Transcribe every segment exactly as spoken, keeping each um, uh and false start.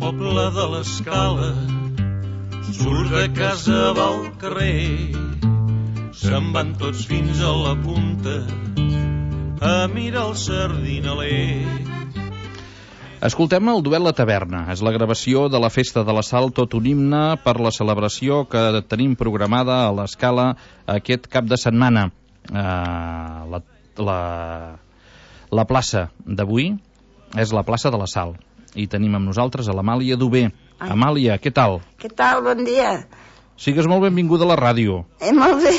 poble de l'Escala surt de casa, va al carrer, se'n van tots fins a la punta a mirar el sardinaler. Escoltem el duet La Taverna. És la gravació de la Festa de la Sal, tot un himne per la celebració que tenim programada a l'Escala aquest cap de setmana. Uh, la, la, la plaça d'avui és la plaça de la Sal i tenim amb nosaltres a l'Amàlia Dubé. Ai. Amàlia, què tal? Què tal? Bon dia. Sigues molt benvinguda a la ràdio. Eh, molt bé.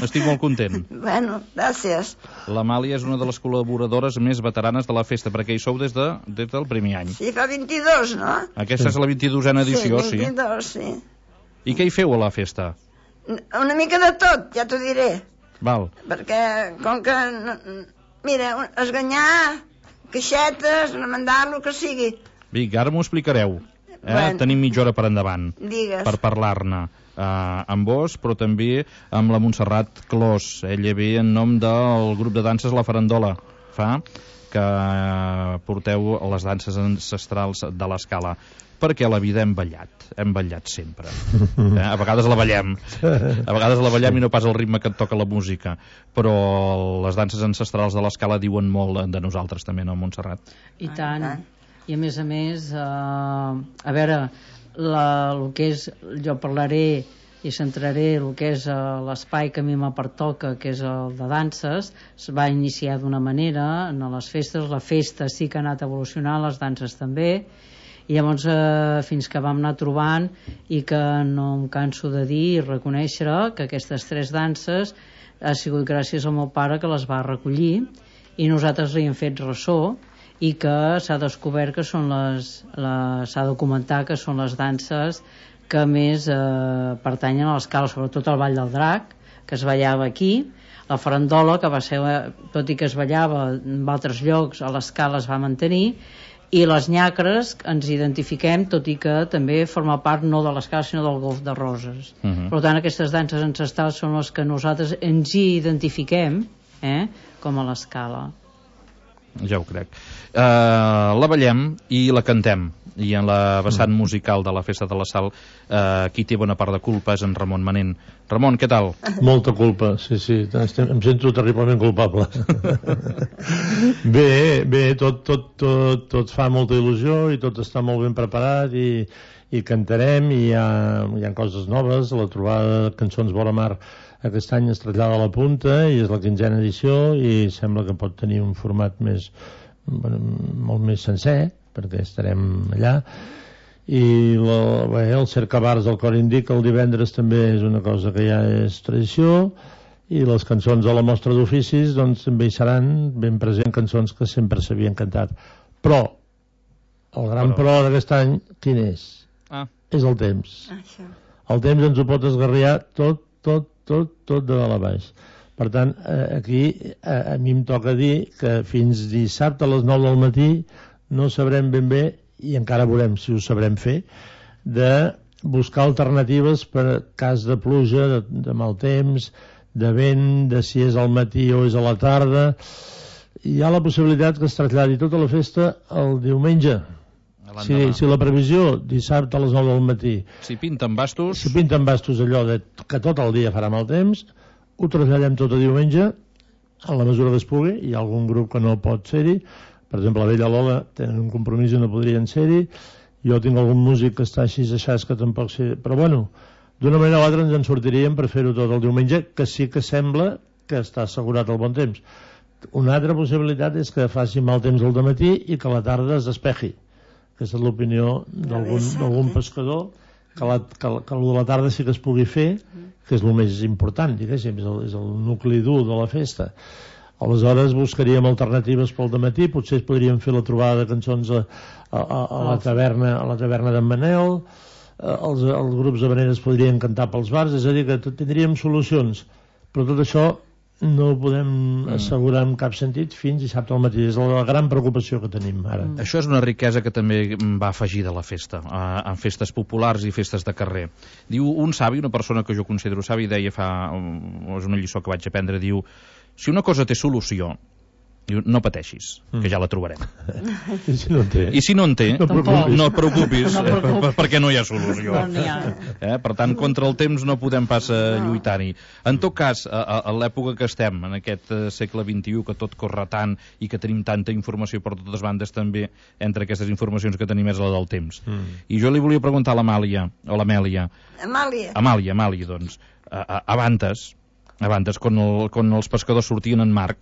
Estic molt content. Bueno, gràcies. L'Amàlia és una de les col·laboradores més veteranes de la festa, perquè hi sou des, de, des del primer any. Sí, fa vint-i-dos, no? Aquesta sí. És la vint-i-dosena edició, sí. vint-i-dos, sí. sí. I què hi feu a la festa? Una mica de tot, ja t'ho diré. Val. Perquè, com que... Mira, esganyar, caixetes, remendar, el que sigui. Vinga, ara m'ho explicareu. Eh? Bueno. Tenim mitja hora per endavant. Digues. Per parlar-ne. Uh, amb vos, però també amb la Montserrat Clos. Ella ve en nom del grup de danses La Farandola. Fa que uh, porteu les danses ancestrals de l'Escala. Perquè a la vida hem ballat. Hem ballat sempre. Eh? A vegades la ballem. A vegades la ballem i no pas el ritme que et toca la música. Però les danses ancestrals de l'Escala diuen molt de nosaltres també, no, Montserrat? I tant. I a més a més, uh, a veure... La, el que és, jo parlaré i centraré el que és uh, l'espai que a mi me pertoca, que és el de danses. Es va iniciar d'una manera en les festes, la festa sí que ha anat evolucionant, les danses també, i llavors uh, fins que vam anar trobant, i que no em canso de dir i reconèixer que aquestes tres danses ha sigut gràcies al meu pare, que les va recollir i nosaltres li hem fet ressò, i que s'ha descobert que són les, les s'ha documentat que són les danses que més eh, pertanyen a l'Escala, sobretot el Ball del Drac, que es ballava aquí, la farandola, que va ser, tot i que es ballava en altres llocs, a l'Escala es va mantenir, i les nyacres ens identifiquem, tot i que també forma part no de l'Escala sinó del Golf de Roses. Uh-huh. Per tant, aquestes danses ancestrals són les que nosaltres ens hi identifiquem, eh, com a l'Escala. Ja ho crec. Uh, la ballem i la cantem, i en la vessant musical de la Festa de la Sal uh, qui té bona part de culpa és en Ramon Manent. Ramon, què tal? Molta culpa, sí, sí, Estem, em sento terriblement culpable. bé, bé, tot, tot, tot, tot fa molta il·lusió i tot està molt ben preparat i, i cantarem i hi ha, hi ha coses noves. La trobada de cançons Vora Mar aquest any es trasllada a la punta i és la quinzena edició i sembla que pot tenir un format més, bueno, molt més sencer, perquè estarem allà. I la, bé, el cercabars del Cor Indica el divendres també és una cosa que ja és tradició, i les cançons de la mostra d'oficis doncs també hi seran ben present, cançons que sempre s'havien cantat. Però el gran però, però d'aquest any quin és? Ah. És el temps. Això. El temps ens ho pot esgarriar tot, tot, tot, tot de dalt a baix. Per tant, aquí a, a mi em toca dir que fins dissabte a les nou del matí no sabrem ben bé, i encara veurem si ho sabrem fer, de buscar alternatives per cas de pluja, de, de mal temps, de vent, de si és al matí o és a la tarda. Hi ha la possibilitat que es traslladi tota la festa el diumenge. Si, si la previsió dissabte a les nou del matí, si pinten bastos, si pinten bastos allò de, que tot el dia farà mal temps, ho traslladem tot a diumenge en la mesura que es pugui. Hi ha algun grup que no pot ser-hi, per exemple la Vella Lola tenen un compromís i no podrien ser-hi, jo tinc algun músic que està així aixàs que tampoc sé, però bueno, d'una manera o altra ens en sortiríem per fer-ho tot el diumenge, que sí que sembla que està assegurat el bon temps. Una altra possibilitat és que faci mal temps al dematí i que a la tarda es despeji. Aquesta és l'opinió d'algun pescador, que, la, que, que el de la tarda sí que es pugui fer, que és el més important, diguéssim, és el, és el nucli dur de la festa. Aleshores buscaríem alternatives pel dematí, potser es podríem fer la trobada de cançons a, a, a, a la taverna a la taverna d'en Manel, els, els grups de habaneres podrien cantar pels bars, és a dir, que tindríem solucions, però tot això no ho podem assegurar en cap sentit fins dissabte al matí. És la gran preocupació que tenim ara. Mm. Això és una riquesa que també va afegir de la festa, en festes populars i festes de carrer. Diu un savi, una persona que jo considero savi, deia fa, és una lliçó que vaig aprendre, diu, si una cosa té solució, Diu, no pateixis, que ja la trobarem. I si no en té? I si no en té, no, preocupis. no et preocupis, no preocupis. perquè no hi ha solució. No n'hi ha. Eh? Per tant, contra el temps no podem pas uh, lluitar-hi. En tot cas, a, a, a l'època que estem, en aquest uh, segle vint-i-u, que tot corre tant i que tenim tanta informació per totes bandes, també, entre aquestes informacions que tenim és la del temps. Mm. I jo li volia preguntar a l'Amàlia, o l'Amèlia... Amàlia. Amàlia, Amàlia, doncs, a, a, abantes, abantes, quan, el, quan els pescadors sortien en mar,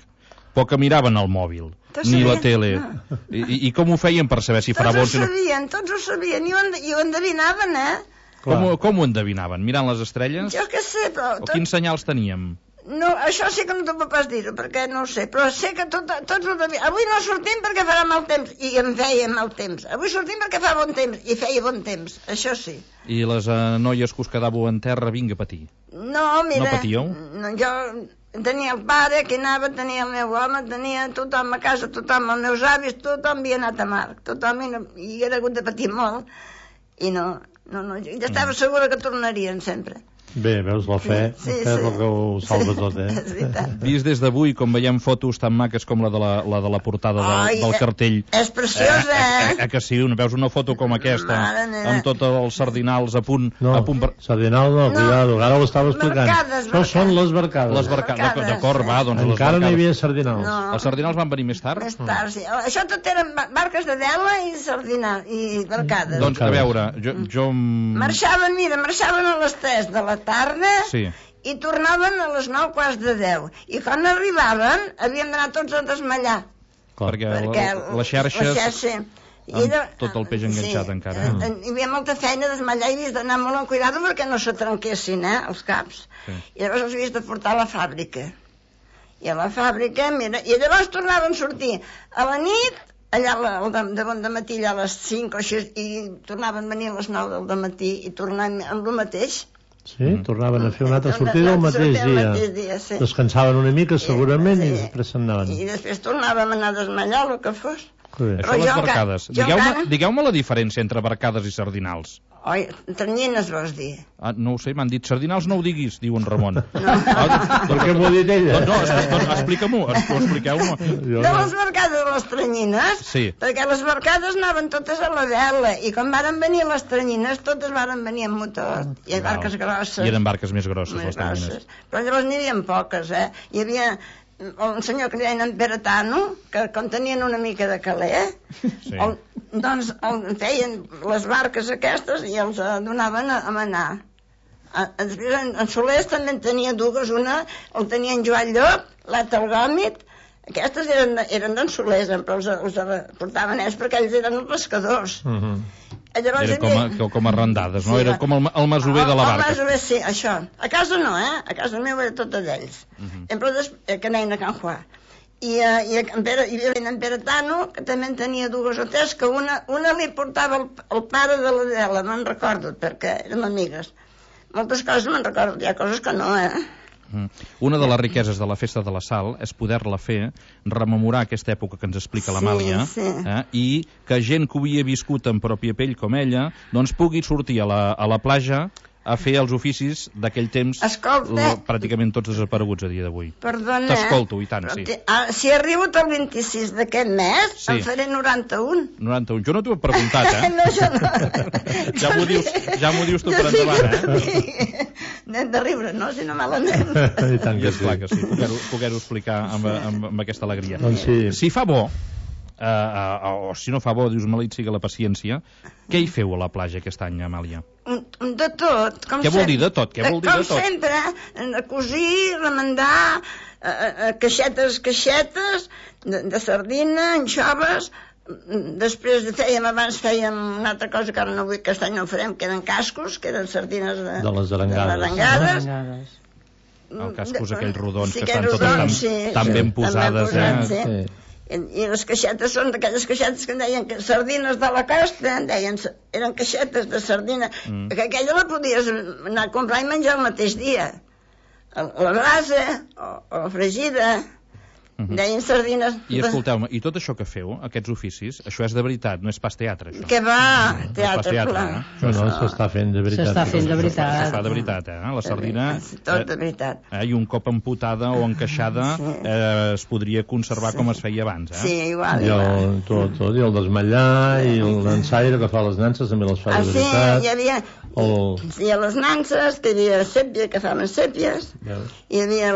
poc miraven el mòbil, ni la tele. No. I, I com ho feien per saber si farà bo? Tots ho sabien, tots ho sabien, i ho, i ho endevinaven, eh? Com, com ho endevinaven? Mirant les estrelles? Jo què sé, però... O tot... quins senyals teníem? No, això sí que no t'ho puc pas dir-ho, perquè no ho sé, però sé que tot, tots ho devien... Avui no sortim perquè farà mal temps, i em feia mal temps. Avui sortim perquè fa bon temps, i feia bon temps, això sí. I les uh, noies que us quedàveu en terra, vinga a patir. No, mira... No patíeu? No, jo... Tenia el pare que anava, tenia el meu home, tenia tothom a casa, tothom, els meus avis, tothom havia anat a mar, tothom, i, no, i era hagut de patir molt, i no, no, no, jo estava segura que tornarien sempre. Bé, veus, la fe, sí, sí, la fe és el que ho salva tot, eh? És veritat. Vist des d'avui, com veiem fotos tan maques com la de la, la, de la portada del, Ai, del cartell. És preciosa, eh? Eh, eh, eh que sí, veus una foto com aquesta, amb tots els sardinals a punt... No, a punt per... sardinal no, no, cuidado, ara ho estava explicant. Barcades, Això són les barcades. Les barcades, d'acord, va, doncs les encara barcades. no hi havia sardinals. No. Els sardinals van venir més tard? Més tard, sí. Això tot eren barques de vela i sardinal, i barcades. Doncs, a veure, jo... jo... Marxaven, mira, marxaven a les tres de la tarda... Sí. I tornaven a les nou quarts de deu. I quan arribaven, havíem d'anar tots a desmallar. Clar, perquè, perquè la, les xarxes... La xarxa, i amb ella, tot el peix enganxat, sí, encara. Eh? Hi havia molta feina a desmallar i havies d'anar molt amb cuidado perquè no se trenquessin, eh, els caps. Sí. I llavors els havies de portar a la fàbrica. I a la fàbrica, mira, i llavors tornaven a sortir a la nit, allà de, de bon de matí, allà a les cinc o així, i tornaven a venir a les nou del matí i tornaven amb el mateix. Sí, tornaven a fer una altra sortida el mateix dia. mateix dia sí. Descansaven una mica, segurament, sí. I després se'n anaven. I després tornàvem a anar a desmallar, el que fos. Això les barcades. Digueu-me digueu la diferència entre barcades i sardinals. Oi, ternyines vols dir? Ah, no ho sé, m'han dit sardinals no ho diguis, diu en Ramon. No. Ah, per què m'ho ha dit ella? No, no explica-m'ho, expliqueu-m'ho. De les barcades a les ternyines? Sí. Perquè les barcades anaven totes a la vela, i quan varen venir les ternyines, totes varen venir amb motor, i barques grosses. I eren barques més grosses, més les ternyines. Grosses. Però llavors n'hi havia poques, eh? Hi havia un senyor que li deien en Beretano, que com tenien una mica de caler, sí. el, doncs el, feien les barques aquestes i els uh, donaven a, a manar. A, després en, en Solers també en tenia dues, una el tenia en Joan Llop, l'altra el Gòmit, aquestes eren, eren d'en Solers, però els, els portaven ells perquè ells eren els pescadors. Uh -huh. Llavors, era com a, com a randades, no? Sí, era com el, el masover de la barca. El masover, sí, això. A casa no, eh? A casa meu era tota d'ells. Uh -huh. Però després, que anaven a Can Juà. I, uh, i en Pere, hi havia en Beretano, que també en tenia dues o tres, que una, una li portava el, el pare de l'Adela, me'n recordo, perquè érem amigues. Moltes coses me'n recordo, hi ha coses que no, eh? Una de les riqueses de la Festa de la Sal és poder-la fer, rememorar aquesta època que ens explica l'Amàlia, sí, sí. eh, i que gent que ho havia viscut en pròpia pell com ella doncs pugui sortir a la, a la platja a fer els oficis d'aquell temps. Escolta, pràcticament tots desapareguts a dia d'avui. Perdona, t'escolto, i tant, sí. Ah, si arribo el vint-i-sis d'aquest mes, sí. Em faré noranta-un. noranta-un. Jo no t'ho he preguntat, eh? No, jo no. ja m'ho dius, ja m'ho dius tu per endavant, eh? N'hem de riure, no? Si no malament. I tant que sí. Clar que sí, poder-ho poder explicar amb, amb, amb aquesta alegria. Doncs sí. Si fa bo, Uh, uh, o si no fa bo, dius, maleït siga la paciència, què hi feu a la platja aquest any, Amàlia? De tot. Com què vol dir de tot? Què vol dir de tot? Com sempre, cosir, remendar, uh, uh, caixetes, caixetes, de, de sardina, anxoves. Després fèiem, abans fèiem una altra cosa que ara no vull, que aquest any no farem, que eren cascos, que eren sardines de, de les arengades. De les arengades. El cascos, aquells rodons sí, que estan totes tan, sí, tan sí, ben posades, ben posats, eh? Sí. I les caixetes són d'aquelles caixetes que en deien que sardines de la costa, en deien, eren caixetes de sardina, mm. que aquella la podies anar a comprar i menjar el mateix dia. La brasa, o, o la fregida, Uh-huh. Deien sardines... I escolteu-me, i tot això que feu, aquests oficis, això és de veritat, no és pas teatre, això? Que va, no, teatre, teatre clar. Eh? No, no, s'està fent de veritat. S'està fent de veritat. S'està de veritat, eh? La sardina... Tot de veritat. Eh, I un cop amputada o encaixada sí. eh, es podria conservar sí. com es feia abans, eh? Sí, igual, I el, igual. tot, tot, i el desmatllar, sí. i el dansaire que fa les nanses també les fa ah, de veritat. Sí, hi havia... El... Sí, a les nanses, que hi havia sèpia, que faven sèpies, Veus? hi havia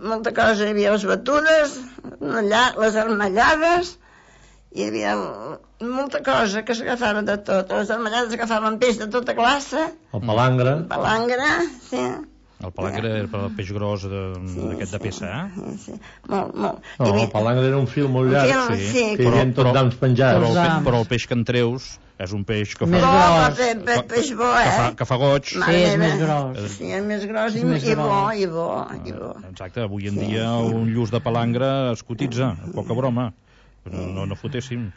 molta cosa, hi havia les batudes, les armallades, hi havia molta cosa que s'agafava de tot. Les armallades agafaven peix de tota classe. El palangre. El palangre, sí. El palangre era per el peix gros d'aquest de, de peça, eh? Sí, sí. Molt, molt. No, havia... el palangre era un fil molt llarg, fil, sí, sí, que hi havia tot d'ams penjats. Però, però, el, però el peix que en treus és un peix que fa... Més bo, gros. Pe, pe, peix bo, eh? Que fa, que fa goig. Sí, és més gros. Sí, és més gros i, més i bo, gros. i bo, i bo. Exacte, avui en dia un lluç de palangre es cotitza, poca broma. No, no, no fotéssim.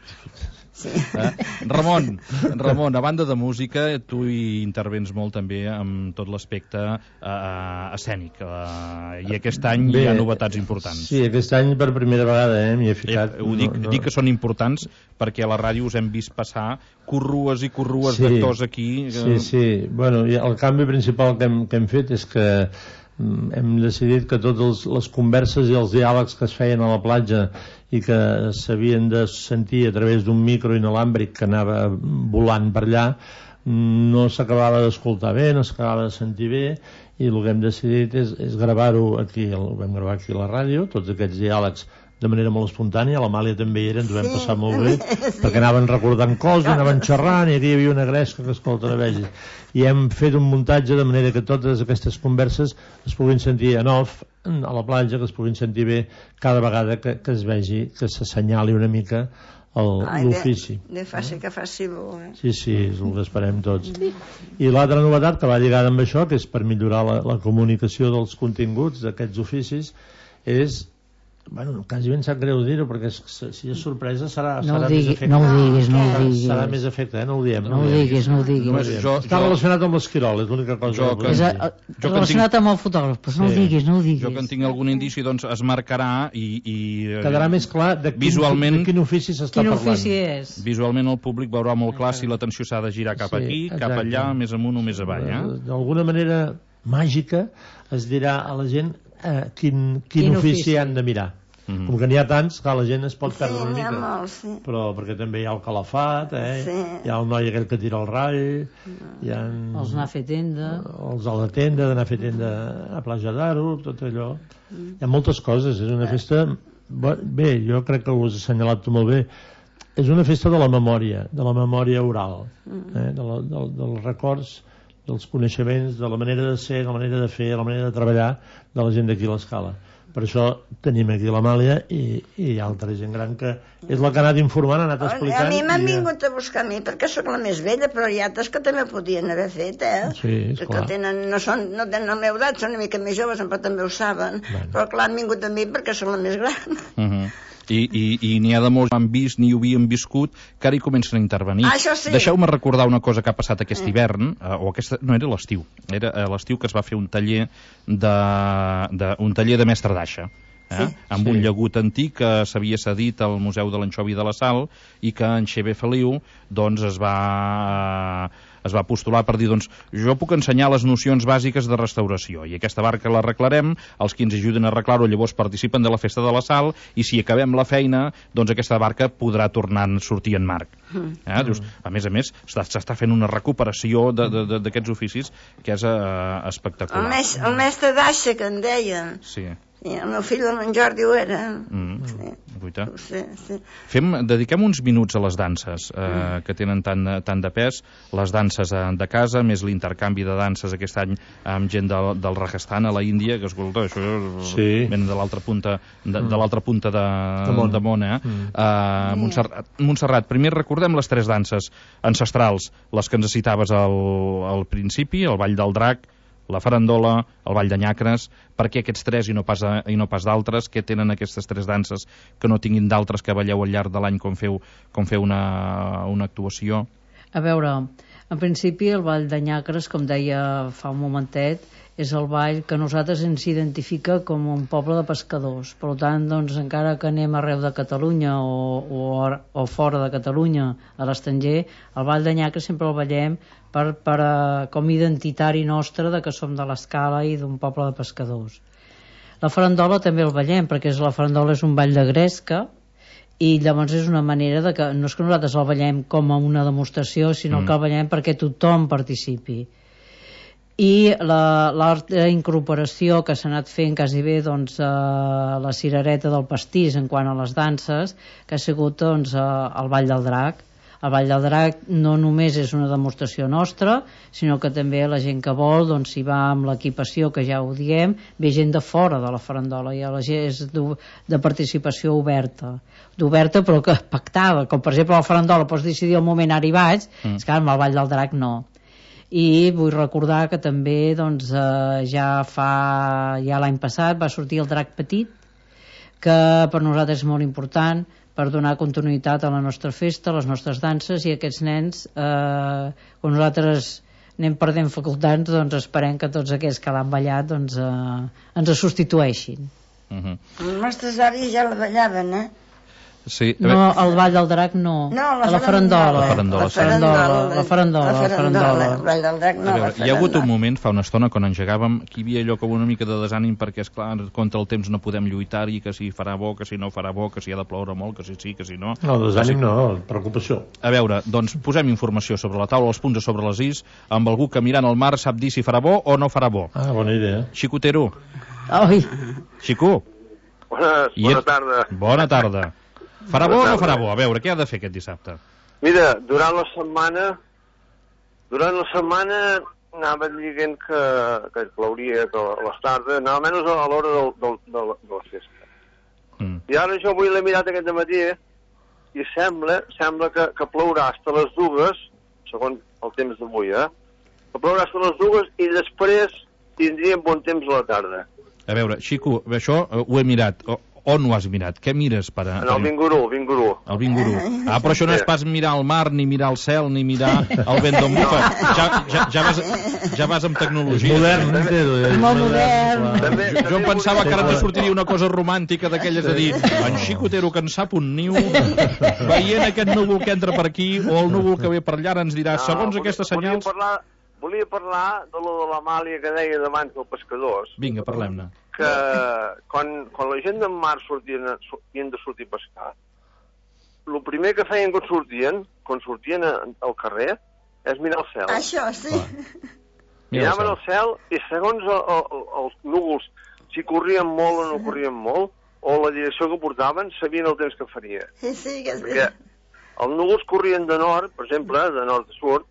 Sí. Eh? Ramon, Ramon, a banda de música, tu hi intervens molt també amb tot l'aspecte eh, escènic. Eh, I aquest any Bé, hi ha novetats importants. Sí, aquest any per primera vegada eh, m'hi he ficat. Eh, ho dic, no, no. dic que són importants perquè a la ràdio us hem vist passar corrues i corrues sí, d'actors aquí. Eh... Sí, sí. Bueno, el canvi principal que hem, que hem fet és que hem decidit que totes les converses i els diàlegs que es feien a la platja i que s'havien de sentir a través d'un micro inalàmbric que anava volant per allà no s'acabava d'escoltar bé, no s'acabava de sentir bé, i el que hem decidit és, és gravar-ho aquí, ho vam gravar aquí a la ràdio, tots aquests diàlegs de manera molt espontània. L'Amàlia també hi era, ens ho vam sí. passar molt bé, sí. perquè anaven recordant coses, anaven xerrant, i aquí hi havia una gresca que escolta, no vegis. I hem fet un muntatge de manera que totes aquestes converses es puguin sentir en off, a la platja, que es puguin sentir bé cada vegada que, que es vegi, que s'assenyali una mica l'ofici. De, de faci que faci bo, eh? Sí, sí, és el que esperem tots. I l'altra novetat que va lligada amb això, que és per millorar la, la comunicació dels continguts d'aquests oficis, és... Bueno, quasi ben sap greu dir-ho, perquè si és sorpresa serà, no serà digui, més efecte. No ho diguis, no ho diguis. Serà més efecte, eh? No ho diem. No, no ho diguis, no ho diguis. No ho diguis. Jo, Està jo... relacionat amb l'esquirol, és l'única cosa jo, que... És a, a, jo relacionat tinc... amb el fotògraf, però sí. no ho diguis, no ho diguis. Jo que en tinc algun indici, doncs es marcarà i... i quedarà més clar de quin, visualment, de quin ofici s'està quin parlant. Ofici és. Visualment el públic veurà molt clar si l'atenció s'ha de girar cap sí, aquí, exacte. cap allà, més amunt o més avall. Eh? D'alguna manera màgica es dirà a la gent eh, quin, quin, quin ofici, ofici han de mirar. Mm-hmm. Com que n'hi ha tants, que la gent es pot perdre sí, una mica, molt, sí. però perquè també hi ha el calafat, eh? sí. hi ha el noi aquell que tira el ratll, hi ha els anar a fer tenda, els a la tenda, d'anar a fer tenda a Platja d'Aro, tot allò. Mm. Hi ha moltes coses, és una festa... Bé, jo crec que ho has assenyalat tu molt bé, és una festa de la memòria, de la memòria oral, eh? de la, de, dels records, dels coneixements, de la manera de ser, de la manera de fer, de la manera de treballar de la gent d'aquí a l'Escala. Per això tenim aquí l'Amàlia i, i altra gent gran que és la que ha anat informant, ha anat explicant. A mi m'han vingut a buscar a mi perquè sóc la més vella, però hi ha altres que també podien haver fet, eh? Sí, esclar. Que tenen, no, són, no tenen la meva edat, són una mica més joves, però també ho saben. Bueno. Però clar, han vingut a mi perquè sóc la més gran. Uh -huh. I, i, i n'hi ha de molts que han vist ni ho havien viscut que ara hi comencen a intervenir. Ah, això sí. Deixeu-me recordar una cosa que ha passat aquest eh. hivern, eh, o aquesta, no, era l'estiu, era eh, l'estiu que es va fer un taller de, de, un taller de mestre d'aixa. Eh? Sí, amb sí. un llagut antic que s'havia cedit al Museu de l'Anxovi de la Sal i que en Xavier Feliu doncs, es va... Eh, es va postular per dir, doncs, jo puc ensenyar les nocions bàsiques de restauració i aquesta barca l'arreglarem, els qui ens ajuden a arreglar-ho llavors participen de la festa de la Sal i si acabem la feina, doncs aquesta barca podrà tornar a sortir en marc. Eh? Dius, a més a més, s'està fent una recuperació d'aquests oficis que és eh, espectacular. El, mes, el mestre d'aixa que en deien. Sí. I el meu fill, en Jordi, ho era. Mm. Sí. Sí, sí. Fem, dediquem uns minuts a les danses eh, mm. que tenen tant, tant de pes, les danses de casa, més l'intercanvi de danses aquest any amb gent del, del Rajasthan a la Índia, que escolta, això sí. venen de l'altra punta de, mm. de l'altra punta de, de món, de món eh? Mm. Uh, Montserrat, Montserrat, primer recordem les tres danses ancestrals, les que ens citaves al, al principi, el Ball del Drac, la farandola, el Ball de Nyacres. Per què aquests tres i no pas, a, i no pas d'altres? Què tenen aquestes tres danses que no tinguin d'altres que balleu al llarg de l'any com feu, com feu una, una actuació? A veure, En principi, el Ball de Nyacres, com deia fa un momentet, és el ball que a nosaltres ens identifica com un poble de pescadors. Per tant, doncs, encara que anem arreu de Catalunya o, o, o fora de Catalunya, a l'estranger, el Ball de Nyacres sempre el ballem per, per, com identitari nostre de que som de l'Escala i d'un poble de pescadors. La farandola també el ballem, perquè la farandola és un ball de gresca, i llavors és una manera de que no és que nosaltres el ballem com a una demostració, sinó mm. que el ballem perquè tothom participi. I l'altra incorporació que s'ha anat fent quasi bé, doncs, eh, la cirereta del pastís en quant a les danses, que ha sigut, doncs, eh, el Ball del Drac. El Ball del Drac no només és una demostració nostra, sinó que també la gent que vol, doncs, si va amb l'equipació, que ja ho diem, ve gent de fora de la farandola, i la gent és de participació oberta d'oberta però que pactada, com per exemple la farandola pots decidir el moment ara hi vaig, mm. és que amb el Ball del Drac no. I vull recordar que també, doncs, eh, ja fa ja l'any passat va sortir el Drac Petit, que per nosaltres és molt important per donar continuïtat a la nostra festa, a les nostres danses, i aquests nens, eh, quan nosaltres anem perdent facultats, doncs esperem que tots aquells que l'han ballat, doncs, eh, ens substitueixin. Uh-huh. Els nostres avis ja la ballaven, eh? Sí, no, el Ball del Drac no, no la, la farandola. La farandola, la farandola, la farandola, la farandola. El Ball del Drac no, veure, hi ha hagut un moment, fa una estona, quan engegàvem, que hi havia allò com una mica de desànim, perquè, esclar, contra el temps no podem lluitar-hi, que si farà bo, que si no farà bo, que si ha de ploure molt, que si sí, que si no... No, desànim no, preocupació. A veure, doncs posem informació sobre la taula, els punts a sobre les is, amb algú que mirant el mar sap dir si farà bo o no farà bo. Ah, bona idea. Xicotero. Ai. Xico. Bones, bona tarda. Bona tarda. Farà bo o no farà bo? A veure, què ha de fer aquest dissabte? Mira, durant la setmana durant la setmana anava dient que, que plauria que a les tardes, anava menys a l'hora del, del, del, de la festa. Mm. I ara jo avui l'he mirat aquest matí i sembla, sembla que, que plourà fins a les dues, segons el temps d'avui, eh? Que plourà fins a les dues i després tindríem bon temps a la tarda. A veure, Xico, això ho he mirat. O, on ho has mirat? Què mires per a... En el Vingurú, el Vingurú. El Vingurú. Ah, però això no és pas mirar el mar, ni mirar el cel, ni mirar el vent d'on bufa. Ja, ja, ja, vas, ja vas amb tecnologia. Modern, modern. Molt modern. També, jo, jo em pensava que ara te sortiria una cosa romàntica d'aquelles de dir en Xicotero que en sap un niu, veient aquest núvol que entra per aquí o el núvol que ve per allà ens dirà, no, segons volia, aquestes senyals... Volia parlar, volia parlar de lo de l'Amàlia que deia d'abans dels pescadors. Vinga, parlem-ne. Que quan, quan la gent del mar sortien, sortien de sortir a pescar, el primer que feien quan sortien, quan sortien al carrer, és mirar el cel. Això, sí. Miraven el cel i segons el, el, els núvols, si corrien molt o no corrien molt, o la direcció que portaven, sabien el temps que faria. Sí, sí, que és Perquè els núvols corrien de nord, per exemple, de nord a sud,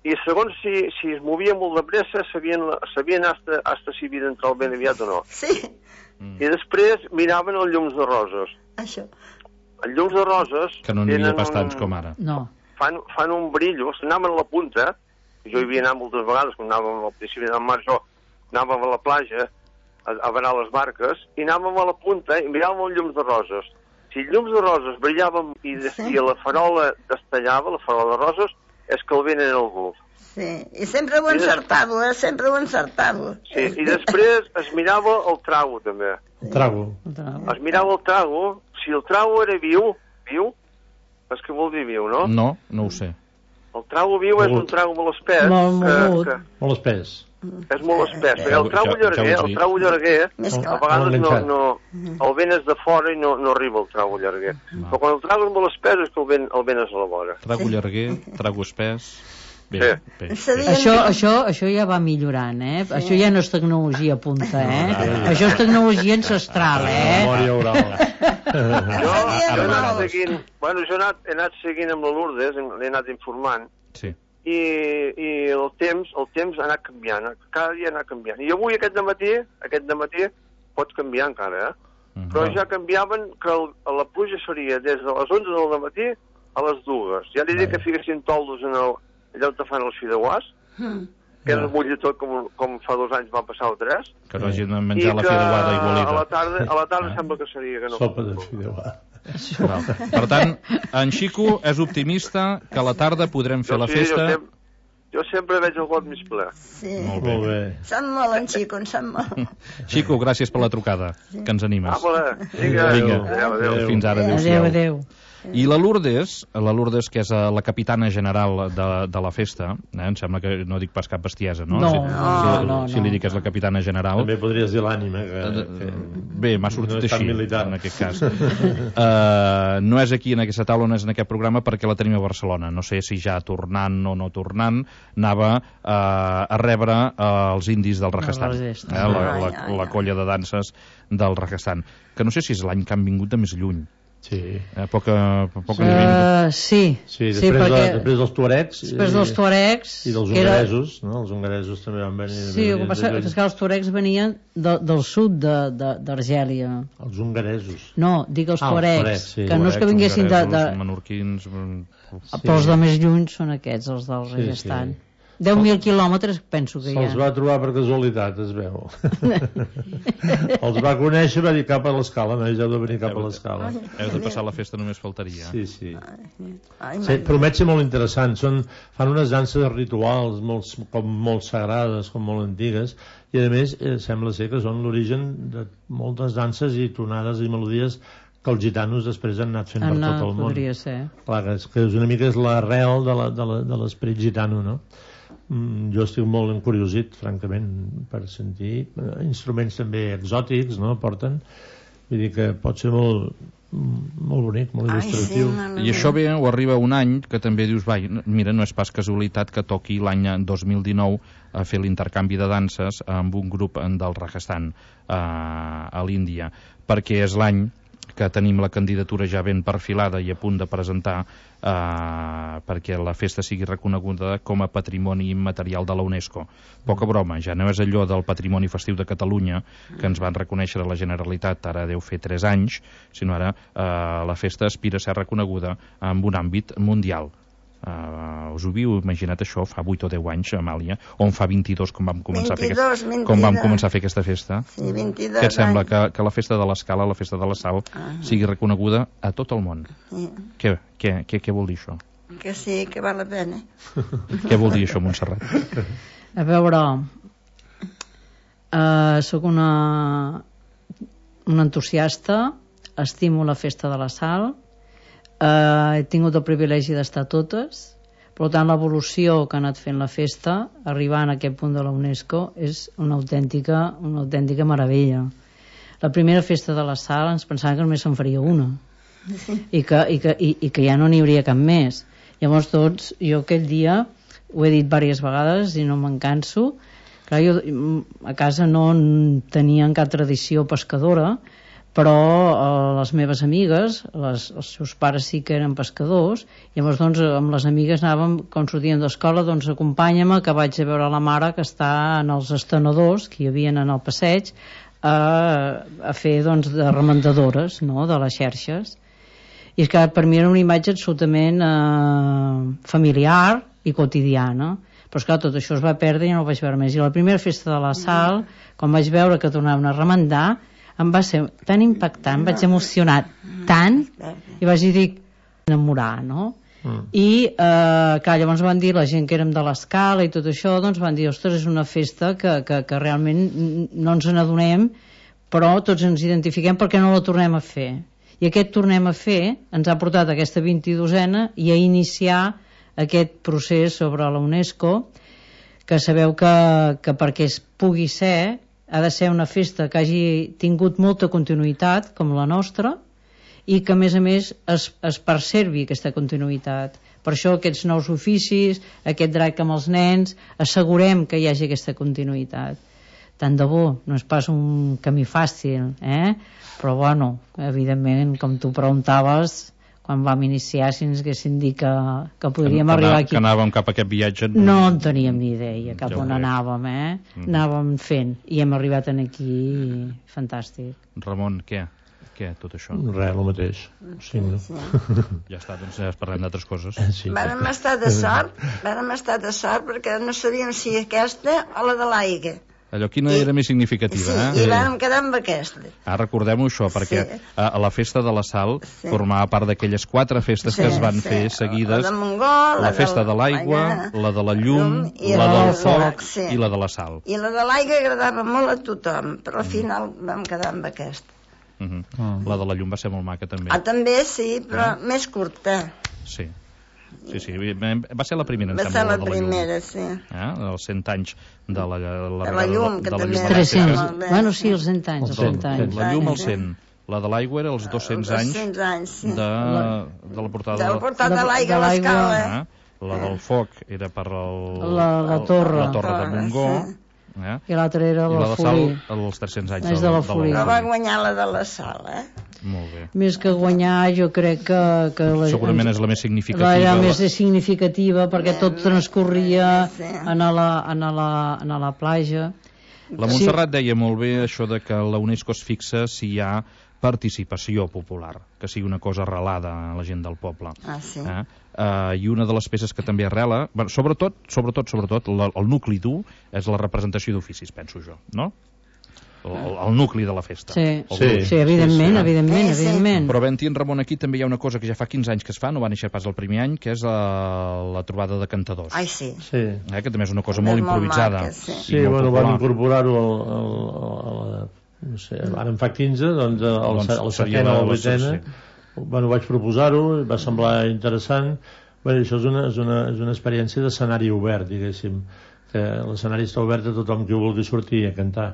i segons si, si es movia molt de pressa sabien, sabien hasta, hasta si havia d'entrar el vent aviat o no. Sí. Mm. I després miraven els llums de roses. Això. Els llums de roses... Que no n'hi havia pas tants com ara. No. Fan, fan un brillo, s'anaven a la punta, jo hi havia anat moltes vegades, quan anàvem al principi del mar, jo anàvem a la platja a, a veure les barques, i anàvem a la punta i miràvem els llums de roses. Si els llums de roses brillaven i, sí. i la farola destellava, la farola de roses, és que el vent era algú. Sí, i sempre ho encertava, eh? Sempre ho encertava. Sí, i després es mirava el trago, també. El trago. Es mirava el trago, si el trago era viu, viu, és que vol dir viu, no? No, no ho sé. El trago viu és un trago molt espès. Molt, molt. Que, que... Molt espès. És molt espès, perquè el trago llarguer, el trago llarguer, a vegades no, no, el vent és de fora i no, no arriba el trago llarguer. Però quan el trago és molt espès és que el vent, el vent és a la vora. Trago llarguer, trago espès... Bé, sí. bé. Això, això, això ja va millorant, eh? Sí. Això ja no és tecnologia punta, eh? No, no, no. Això és tecnologia ancestral, eh? Memòria oral. jo, jo he anat seguint, bueno, jo he anat, he anat seguint amb la Lourdes, l'he anat informant, sí. i, i el temps, el temps ha anat canviant, cada dia ha anat canviant. I avui, aquest dematí, aquest dematí, pot canviar encara, eh? Uh-huh. Però ja canviaven que el, la pluja seria des de les onze del dematí a les dues. Ja li dic que fiquessin toldos en el allà on te fan els fideuàs, mm. que ja. Es mulli tot com, com fa dos anys va passar o tres. Que no hagin de menjar la fideuà d'aigualida. A la tarda, a la tarda ah. sembla que seria que no. Sopa de fideuà. Per tant, en Xico és optimista que a la tarda podrem fer jo la sí, festa... Jo sempre, jo sempre veig el got mig ple. Sí. Molt bé. Molt bé. Som molt en Xico, en som molt. Xico, gràcies per la trucada, que ens animes. Ah, vale. Vinga. Vinga. Adéu, adéu. Fins ara, Adéu, adéu-siau. adéu. I la Lourdes, la Lourdes, que és eh, la capitana general de, de la festa, eh, em sembla que no dic pas cap bestiesa, no? No, si, no, si, no, si no. li dic que és la capitana general. També podries dir l'ànima. Que, que... Bé, m'ha sortit no és tan així, militar. en aquest cas. uh, no és aquí en aquesta taula, no és en aquest programa, perquè la tenim a Barcelona. No sé si ja tornant o no tornant, anava uh, a rebre uh, els indis del Rajasthan, eh, la, la, la colla de danses del Rajasthan, que no sé si és l'any que han vingut de més lluny. Sí. Eh, poca, poca Uh, sí, Sí, sí, després, perquè de, després dels tuaregs després dels tuaregs i dels que era- hongaresos, no? Els hongaresos també van venir. Sí, el que passa és que els tuaregs venien de, del sud de- de- d'Argèlia. Els hongaresos. No, dic els Ah, els tuaregs, tuaregs, sí. que no és que vinguessin de... de menorquins... però els de més lluny són aquests, els del Sí, Rajasthan. sí. deu mil quilòmetres penso que hi Se'ls ha. va trobar per casualitat, es veu. Els va conèixer, va dir cap a l'escala, no, ja heu de venir cap a l'escala. Heu de passar la festa, només faltaria. Sí, sí. Ai, Sí, promet ser molt interessant. Són, fan unes danses rituals molt, com molt sagrades, com molt antigues, i a més eh, sembla ser que són l'origen de moltes danses i tonades i melodies que els gitanos després han anat fent per Anna, tot el món. podria ser. Clar, que és, que és una mica és l'arrel de la- de la- de l'esperit gitano, no? Mm, jo estic molt encuriosit, francament, per sentir eh, instruments també exòtics, no?, porten. Vull dir que pot ser molt, molt bonic, molt Ai, sí, il·lustratiu. no, I això ve o arriba un any que també dius, vai, mira, no és pas casualitat que toqui l'any dos mil dinou a fer l'intercanvi de danses amb un grup del Rajasthan a, a l'Índia, perquè és l'any que tenim la candidatura ja ben perfilada i a punt de presentar eh, perquè la festa sigui reconeguda com a patrimoni immaterial de la UNESCO. Poca broma, ja no és allò del patrimoni festiu de Catalunya que ens van reconèixer a la Generalitat ara deu fer tres anys, sinó ara eh, la festa aspira a ser reconeguda en un àmbit mundial. Uh, us ho havíeu imaginat això fa vuit o deu anys, Amàlia, on fa vint-i-dos com vam començar, vint-i-dos, a, fer aquest, com vam vint-i-dos. començar a fer aquesta festa? Sí, vint-i-dos Què et sembla? anys. Que, que la festa de l'Escala, la festa de la Sal, Ah. sigui reconeguda a tot el món? Sí, Què, què, què, què vol dir això? que sí, que val la pena. Què vol dir això, Montserrat? A veure, uh, sóc una, una entusiasta, estimo la festa de la Sal, uh, he tingut el privilegi d'estar a totes, per tant l'evolució que ha anat fent la festa, arribant a aquest punt de la UNESCO, és una autèntica, una autèntica meravella. La primera festa de la Sal ens pensàvem que només se'n faria una, i que, i, que, i, i que ja no n'hi hauria cap més. Llavors tots, jo aquell dia ho he dit diverses vegades i no me'n canso. Clar, jo a casa no tenien cap tradició pescadora, però eh, les meves amigues, les, els seus pares sí que eren pescadors, llavors doncs amb les amigues anàvem, quan sortíem d'escola, doncs acompanya-me que vaig a veure la mare que està en els estenedors que hi havia en el passeig a, a fer doncs de remendadores, no?, de les xerxes. I és que per mi era una imatge absolutament eh, familiar i quotidiana, però esclar, tot això es va perdre i no ho vaig veure més. I la primera festa de la Sal, quan vaig veure que tornaven a remendar, em va ser tan impactant, vaig emocionar tant, i vaig dir enamorar, no? Mm. I eh, clar, llavors van dir la gent que érem de l'Escala i tot això, doncs van dir, ostres, és una festa que, que, que realment no ens n'adonem, però tots ens identifiquem perquè no la tornem a fer. I aquest tornem a fer ens ha portat a aquesta vint-i-dosena i a iniciar aquest procés sobre la UNESCO, que sabeu que, que perquè es pugui ser ha de ser una festa que hagi tingut molta continuïtat, com la nostra, i que a més a més es, es perservi aquesta continuïtat. Per això aquests nous oficis, aquest drac amb els nens, assegurem que hi hagi aquesta continuïtat. Tant de bo, no és pas un camí fàcil, eh? Però bueno, evidentment, com tu preguntaves, quan vam iniciar, si ens haguessin dit que, que podríem que, arribar que aquí... Que anàvem cap a aquest viatge... No en teníem ni idea cap Ja on ho veig. anàvem, eh? Mm. Anàvem fent, i hem arribat en aquí, fantàstic. Ramon, què? Què, tot això? Res, el mateix. Sí, no? Ja està, doncs ja parlem d'altres coses. Sí, Vàrem estar de sort, vàrem estar de sort perquè no sabíem si aquesta o la de l'aigua. Allò, quina era més significativa, sí, eh? I vam quedar amb aquesta. Ah, recordem-ho això, perquè Sí. a, a la festa de la Sal Sí. formava part d'aquelles quatre festes Sí, que es van sí. fer seguides. La de Montgó, la la festa del de l'aigua, Mañana, la de la llum, i la la del del foc foc, sí. i la de la sal. I la de l'aigua agradava molt a tothom, però al final vam quedar amb aquesta. Uh -huh. La de la llum va ser molt maca, també. Ah, també, sí, però Eh? més curta. Sí. Sí, sí, va ser la primera, em Va sembla, ser la de la primera, llum. sí. Eh? Els cent anys de la, la, De la llum, que de la també llum era tres-cents. molt bé, Bueno, sí, sí. els cent anys, els cent anys. La llum als Sí. cent. La de l'aigua era els dos-cents Els anys dos-cents anys, sí. de, de la portada De la portada de de l'aigua a l'aigua. l'escala. Eh? La del foc era per el, La- la torre. la torre de Torre, Montgó, sí. eh? I l'altre era I la la de Sal Folí. als tres-cents anys És de la Folí. Però va guanyar la de la sala, eh? Molt bé. Més que guanyar, jo crec que... que la, Segurament és la més significativa. Era més significativa perquè tot transcorria Sí. en la, en la, en la platja. La Montserrat deia molt bé això de que la UNESCO es fixa si hi ha participació popular, que sigui una cosa arrelada a la gent del poble. Ah, sí. Eh? Uh, I una de les peces que també arrela, bueno, sobretot, sobretot, sobretot, la, el nucli dur és la representació d'oficis, penso jo, no? El, el, el nucli de la festa. Sí, El Sí. grup. sí, evidentment, Sí, sí. evidentment, Sí, sí. evidentment. Però havent-hi en Ramon aquí també hi ha una cosa que ja fa quinze anys que es fa, no va néixer pas el primer any, que és la, la trobada de cantadors. Ai, sí. Sí. Eh, que també és una cosa També molt és molt improvisada. maca, sí. i Sí, molt bueno, popular. van incorporar-ho al, al, al, al, no sé, ara en fa quinze, doncs al, Doncs al seria setena o la- al la- vuitena. sí. Bueno, vaig proposar-ho, va semblar interessant. Bé, això és una, és una, és una experiència d'escenari obert, diguéssim, que l'escenari està obert a tothom que vulgui sortir a cantar.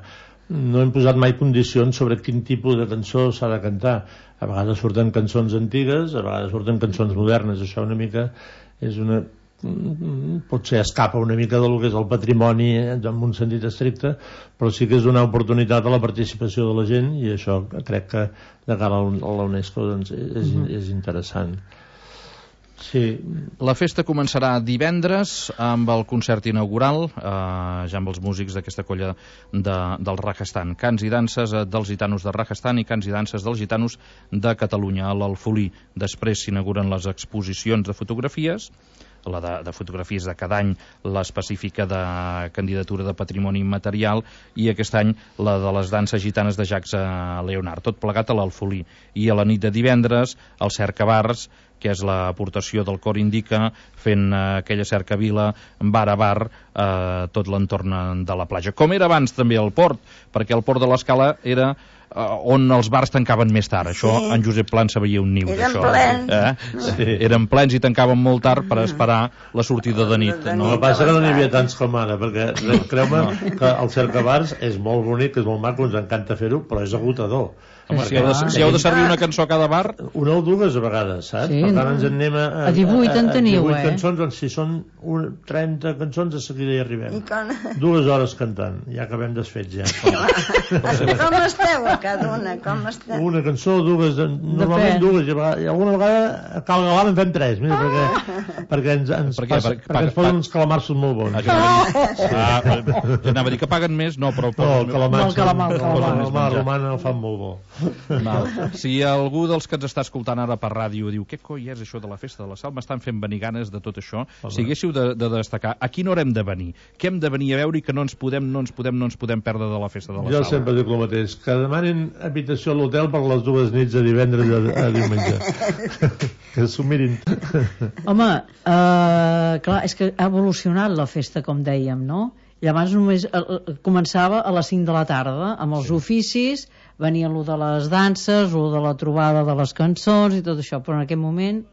No hem posat mai condicions sobre quin tipus de cançó s'ha de cantar. A vegades surten cançons antigues, a vegades surten cançons modernes. Això una mica és una... potser escapa una mica del que és el patrimoni en un sentit estricte, però sí que és donar oportunitat a la participació de la gent, i això crec que de cara a la UNESCO doncs, és, és interessant. Sí. La festa començarà divendres amb el concert inaugural, eh, ja amb els músics d'aquesta colla de, del Rajasthan. Cants i danses eh, dels gitanos de Rajasthan i cants i danses dels gitanos de Catalunya, a l'Alfolí. Després s'inauguren les exposicions de fotografies, la de, de fotografies de cada any, l'específica de candidatura de patrimoni immaterial, i aquest any la de les danses gitanes de Jacques Leonard, tot plegat a l'Alfolí. I a la nit de divendres el Cercabars, que és l'aportació del Cor Indica, fent eh, aquella cercavila bar a bar eh, tot l'entorn de la platja. Com era abans també el port, perquè el port de l'Escala era eh, on els bars tancaven més tard. Això Sí. en Josep Pla en sabia un niu Eren d'això. plens. Eh? Sí. Eren plens i tancaven molt tard per esperar la sortida de nit. De No, No? el que passa que no n'hi havia tants com ara, perquè creu-me que el cercabars és molt bonic, és molt maco, ens encanta fer-ho, però és agotador. Home, si heu, de, si heu de servir una cançó a cada bar, Una o dues a vegades, saps? Sí, Per tant, no? ens en anem a... A divuit en teniu, divuit eh? cançons, doncs si són un, trenta cançons, de seguida hi arribem. I com, Dues hores cantant, ja acabem desfets, ja. com esteu a cada una? Com esteu? Una cançó, dues, de- normalment Depèn. dues, i a vegades- i alguna vegada a Cal Galant en fem tres, mira, perquè, perquè ens, ens, Per què? passa, Per- perquè paga- ens posen paga- uns calamarsos molt bons. Ah, que anava a dir, ah, jo anava a dir que paguen més, no, però... No, el calamar, El calamar, el calamar. el més calamar menjar. romana el fan molt bo. Val. Si algú dels que ens està escoltant ara per ràdio diu què coi és això de la festa de la Sal, m'estan fent venir ganes de tot això, si haguéssiu de, de destacar a quina hora hem de venir, què hem de venir a veure i que no ens podem, no ens podem, no ens podem perdre de la festa de la Jo Sal. sempre dic el mateix, que demanin habitació a l'hotel per les dues nits de divendres a, a diumenge. Que s'ho mirin. Home, eh, clar, és que ha evolucionat la festa, com dèiem, no? I abans només eh, eh, començava a les cinc de la tarda, amb els sí. oficis, venia lo de les danses, lo de la trobada de les cançons i tot això, però en aquest moment,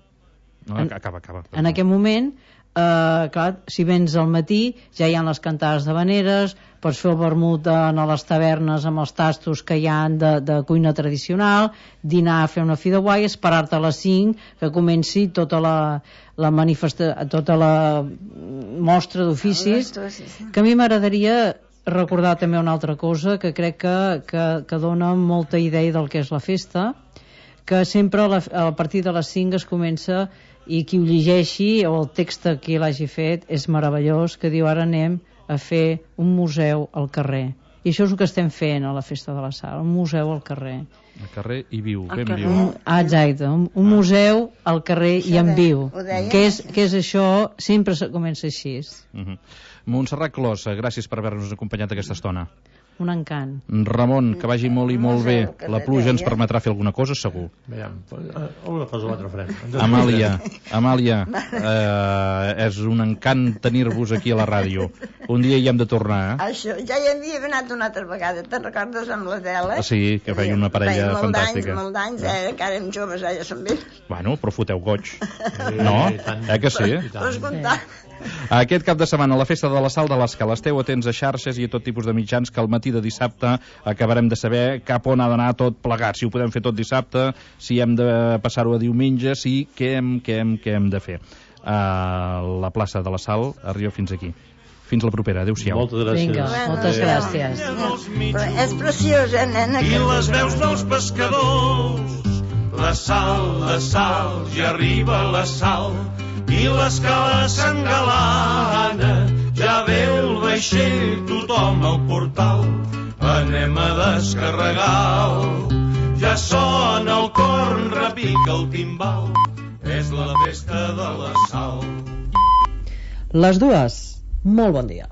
No, acaba, acaba. en aquest moment, eh, clar, si vens al matí ja hi ha les cantades d'havaneres, pots fer el vermut a les tavernes amb els tastos que hi ha de, de cuina tradicional, dinar, fer una fideuà i esperar-te a les cinc que comenci tota la, la manifesta, tota la mostra d'oficis, que a mi m'agradaria recordar també una altra cosa que crec que, que, que dona molta idea del que és la festa, que sempre a, la, a partir de les cinc es comença, i qui ho llegeixi o el text que l'hagi fet és meravellós, que diu ara anem a fer un museu al carrer, i això és el que estem fent a la festa de la Sal, un museu al carrer, Al carrer i viu, Al ben carrer. viu. Ah, exacte, un, un museu al carrer i en viu. Ho deia? Què és, què és això? Sempre se comença així. Uh -huh. Montserrat Clos, gràcies per haver-nos acompanyat aquesta estona. Un encant. Ramon, que vagi molt i molt bé. Museu, que La pluja ens deia. permetrà fer alguna cosa, segur. Veiem, una cosa o l'altra farem. Amàlia, Amàlia, eh, és un encant tenir-vos aquí a la ràdio. Un dia hi hem de tornar, eh? Això, ja hi havia anat una altra vegada, te'n recordes amb l'Adela? Ah, sí, que feia una parella Feia molt fantàstica. d'anys, molt d'anys, eh, que érem joves, eh, ja som vells. Bueno, però foteu goig. No? Eh que sí? Vols contar? Aquest cap de setmana, la festa de la Sal de l'Escala. Esteu atents a xarxes i a tot tipus de mitjans que al matí de dissabte acabarem de saber cap on ha d'anar tot plegat. Si ho podem fer tot dissabte, si hem de passar-ho a diumenge, si què hem, què hem, què hem de fer. Uh, la plaça de la Sal arriba fins aquí. Fins la propera. Adéu-siau. Moltes gràcies. Vinga, moltes gràcies. Però és preciós, eh, nena? I que- les veus dels pescadors. La sal, la sal, ja arriba la sal. I l'escala s'engalana. Ja ve el vaixell, tothom al portal. Anem a descarregar. Ja sona el corn, repica el timbal. És la festa de la sal. Les dues, molt bon dia.